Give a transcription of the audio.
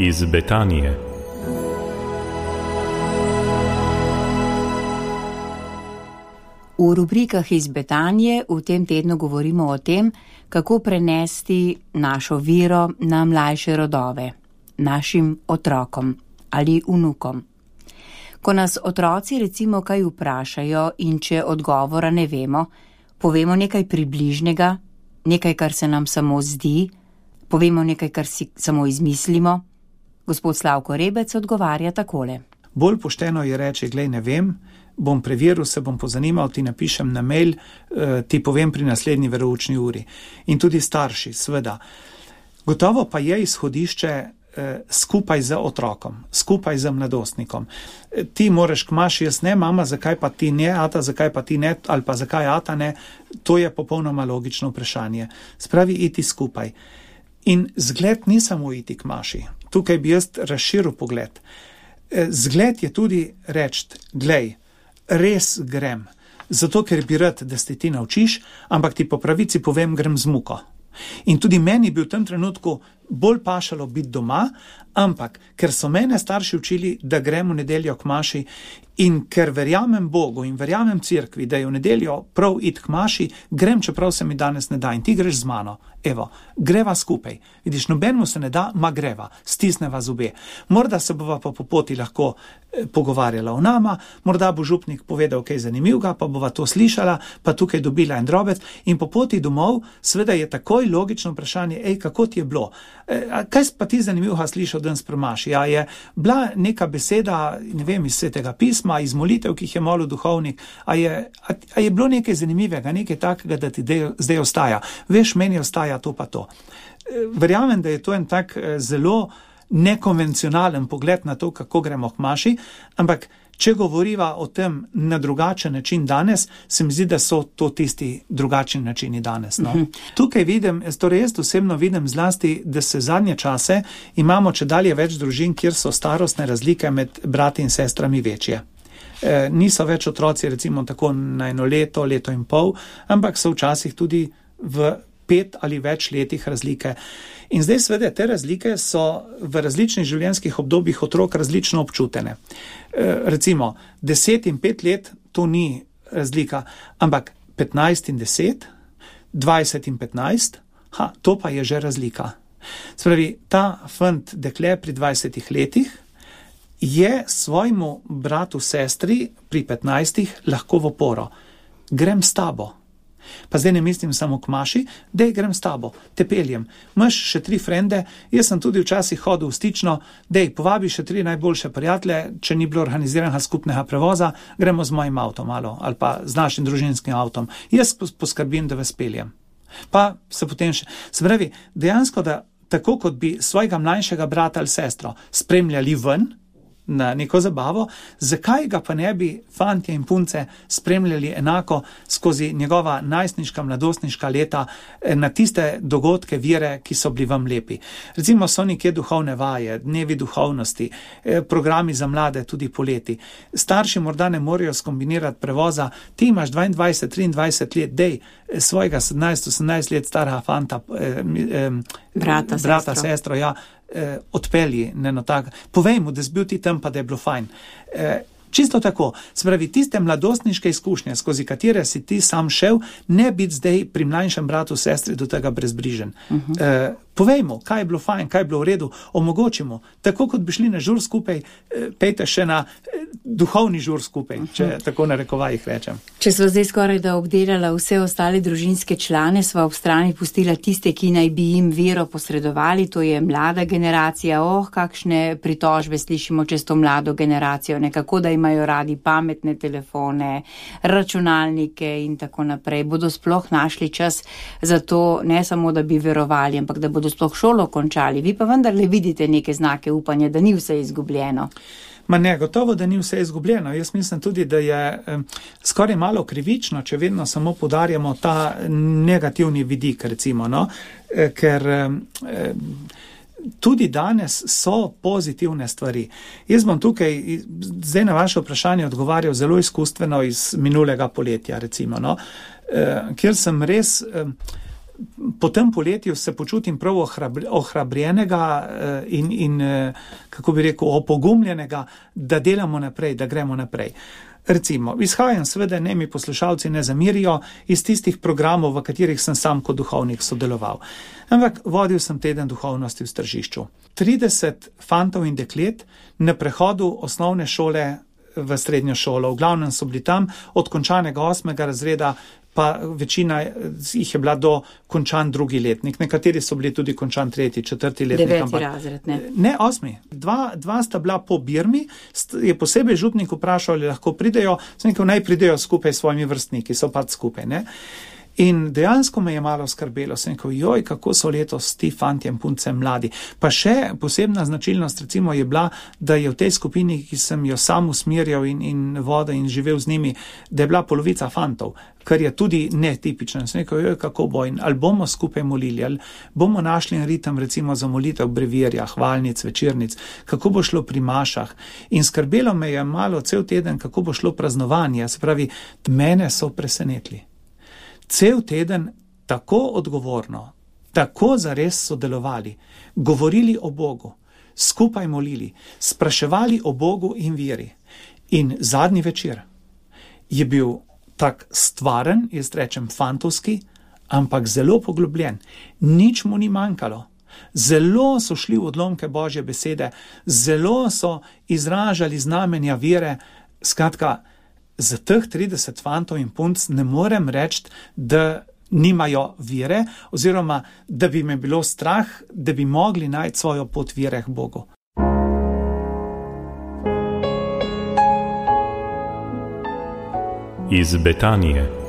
iz Betanije. V rubrikah iz Betanije v tem tednu govorimo o tem, kako prenesti našo vero na mlajše rodove, našim otrokom ali vnukom. Ko nas otroci recimo kaj vprašajo in če odgovora ne vemo, povemo nekaj približnega, nekaj, kar se nam samo zdi, povemo nekaj, kar si samo izmislimo. Gospod Slavko Rebec odgovarja takole. Bolj pošteno je reči, glej, ne vem, bom preveril, se bom pozanimal, ti napišem na mail, ti povem pri naslednji veroučni uri. In tudi starši, seveda. Gotovo pa je izhodišče skupaj z otrokom, skupaj z mladostnikom. Ti moraš k maši, jaz ne, mama, zakaj pa ti ne, ata, zakaj pa ti ne, ali pa zakaj ata ne, to je popolnoma logično vprašanje. Spravi iti skupaj. In zgled ni samo iti k maši. Tukaj bi jaz razširil pogled. Zgled je tudi reči, glej, res grem, zato ker bi rad, da se ti naučiš, ampak ti po pravici povem, grem z muko. In tudi meni bi v tem trenutku bolj pašalo biti doma, ampak ker so mene starši učili, da grem v nedeljo k maši in ker verjamem Bogu in verjamem cerkvi, da je v nedeljo prav iti k maši, grem, čeprav se mi danes ne da in ti greš z mano. Evo, greva skupaj. Vidiš, nobenemu se ne da, ma greva, stisneva zobe. Morda se bova pa po poti lahko pogovarjala o nama, morda bo župnik povedal kaj zanimivega, pa bova to slišala, pa tukaj dobila en drobec in po poti domov seveda je takoj logično vprašanje, kako ti je bilo? Kaj pa ti zanimivega slišal danes pri maši? A je bila neka beseda, ne vem, iz Svetega pisma, iz molitev, ki jih je molil duhovnik, a je bilo nekaj zanimivega, nekaj takega, da ti zdaj ostaja? Veš, meni ostaja to pa to. Verjamem, da je to en tak zelo nekonvencionalen pogled na to, kako gremo k maši, ampak če govoriva o tem na drugačen način danes, se mi zdi, da so to tisti drugačni načini danes. No? Tukaj vidim, torej jaz osebno vidim zlasti, da se zadnje čase imamo čedalje več družin, kjer so starostne razlike med brati in sestrami večje. Niso več otroci recimo tako na eno leto, leto in pol, ampak so včasih tudi v 5 ali več letih razlike. In zdaj seveda te razlike so v različnih življenjskih obdobjih otrok različno občutene. Recimo 10 in 5 let to ni razlika, ampak 15 in 10, 20 in 15, to pa je že razlika. Spravi, ta fant dekle pri 20 letih je svojemu bratu sestri pri 15 lahko v oporo. Grem s tabo. Pa zdaj ne mislim samo k maši, dej grem s tabo, te peljem. Imaš še 3 frende, jaz sem tudi včasih hodil v stično, dej povabi še 3 najboljše prijatelje, če ni bilo organiziranega skupnega prevoza, gremo z mojim avtom malo, ali pa z našim družinskim avtom. Jaz poskrbim, da vas peljem. Pa se potem še... Se pravi, dejansko, da tako kot bi svojega mlajšega brata ali sestro spremljali ven, na neko zabavo, zakaj ga pa ne bi fantje in punce spremljali enako skozi njegova najstniška, mladostniška leta na tiste dogodke, vire, ki so bili vam lepi. Recimo so nekje duhovne vaje, dnevi duhovnosti, programi za mlade tudi poleti. Starši morda ne morejo skombinirati prevoza, ti imaš 22, 23 let, dej svojega 17-18 let starega fanta, brata, sestro, ja, odpelji, povej mu, da si bil ti tam, pa da je bilo fajn. Čisto tako, se pravi, tiste mladostniške izkušnje, skozi katere si ti sam šel, ne biti zdaj pri mlajšem bratu, sestri do tega brezbrižen. Povej mu, kaj je bilo fajn, kaj je bilo v redu, omogočimo. Tako kot bi šli na žur skupaj, pejte še na duhovni žur skupaj, če tako na rekovajih rečem. Če sva zdaj skoraj da obdelala vse ostale družinske člane, sva ob strani pustila tiste, ki naj bi jim vero posredovali, to je mlada generacija. Kakšne pritožbe slišimo čez to mlado generacijo, nekako da imajo radi pametne telefone, računalnike in tako naprej. Bodo sploh našli čas za to, ne samo da bi verovali, ampak da bodo sploh šolo končali. Vi pa vendarle vidite neke znake upanja, da ni vse izgubljeno. Ma ne, gotovo, da ni vse izgubljeno. Jaz mislim tudi, da je skoraj malo krivično, če vedno samo poudarjamo ta negativni vidik, recimo, no? Ker tudi danes so pozitivne stvari. Jaz bom tukaj zdaj na vaše vprašanje odgovarjal zelo izkustveno iz minulega poletja, recimo, no? Kjer sem res po tem poletju se počutim prav ohrabrjenega in kako bi rekel, opogumljenega, da delamo naprej, da gremo naprej. Recimo, izhajam seveda, ne mi poslušalci ne zamirijo, iz tistih programov, v katerih sem sam kot duhovnik sodeloval. Ampak vodil sem teden duhovnosti v Tržišču. 30 fantov in deklet na prehodu osnovne šole v srednjo šolo. V glavnem so bili tam od končanega 8. razreda, pa večina jih je bila do končan 2. letnik. Nekateri so bili tudi končan 3., 4. letnik. 9. razred, ne? Ne, 8. Dva sta bila po Birmi, je posebej župnik vprašal, ali lahko pridejo, sem rekel, naj pridejo skupaj s svojimi vrstniki, so pač skupaj, ne. In dejansko me je malo skrbelo, sem rekel, joj, kako so letos ti fantje in punce mladi. Pa še posebna značilnost recimo je bila, da je v tej skupini, ki sem jo sam usmerjal in vodil in živel z njimi, da je bila polovica fantov, kar je tudi netipično. Sem rekel, joj, kako bo in ali bomo skupaj molili, ali bomo našli en ritem recimo za molitev brevirja, hvalnic, večernic, kako bo šlo pri mašah. In skrbelo me je malo cel teden, kako bo šlo praznovanje, se pravi, mene so presenetili. Cel teden tako odgovorno, tako zares sodelovali, govorili o Bogu, skupaj molili, spraševali o Bogu in veri. In zadnji večer je bil tak stvaren, jaz rečem fantovski, ampak zelo poglobljen. Nič mu ni manjkalo. Zelo so šli v odlomke Božje besede, zelo so izražali znamenja vere. Skratka, za teh 30 fantov in punc ne morem reči, da nimajo vere, oziroma da bi me bilo strah, da bi mogli najti svojo pot vere k Bogu. Iz Betanije.